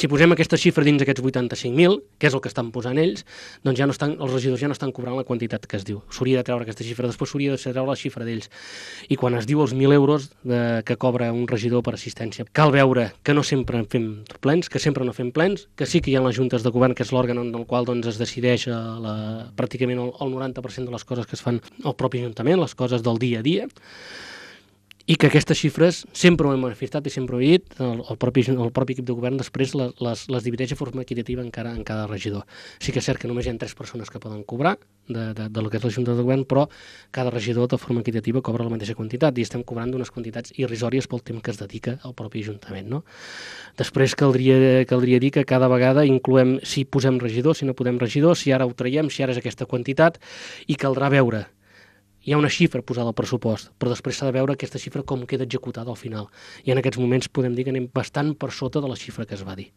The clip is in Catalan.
Si posem aquesta xifra dins aquests 85.000, que és el que estan posant ells, doncs ja no estan, els regidors ja no estan cobrant la quantitat que es diu. S'hauria de treure aquesta xifra, després s'hauria de treure la xifra d'ells. I quan es diu els 1.000 euros que cobra un regidor per assistència, cal veure que no sempre fem plens, que sempre no fem plens, que sí que hi ha les juntes de govern, que és l'òrgan en el qual doncs, es decideix pràcticament el 90% de les coses que es fan al propi Ajuntament, les coses del dia a dia, i que aquestes xifres sempre ho hem manifestat i sempre ho he dit, el propi equip de govern després les divideix de forma equitativa en cada regidor. Sí que és cert que només hi ha 3 persones que poden cobrar del que és la Junta de Govern, però cada regidor de forma equitativa cobra la mateixa quantitat i estem cobrant unes quantitats irrisòries pel temps que es dedica al propi Ajuntament. No? Després caldria dir que cada vegada incloem si posem regidor, si no podem regidor, si ara ho traiem, si ara és aquesta quantitat, i caldrà veure. Hi ha una xifra posada al pressupost, però després s'ha de veure aquesta xifra com queda executada al final. I en aquests moments podem dir que anem bastant per sota de la xifra que es va dir.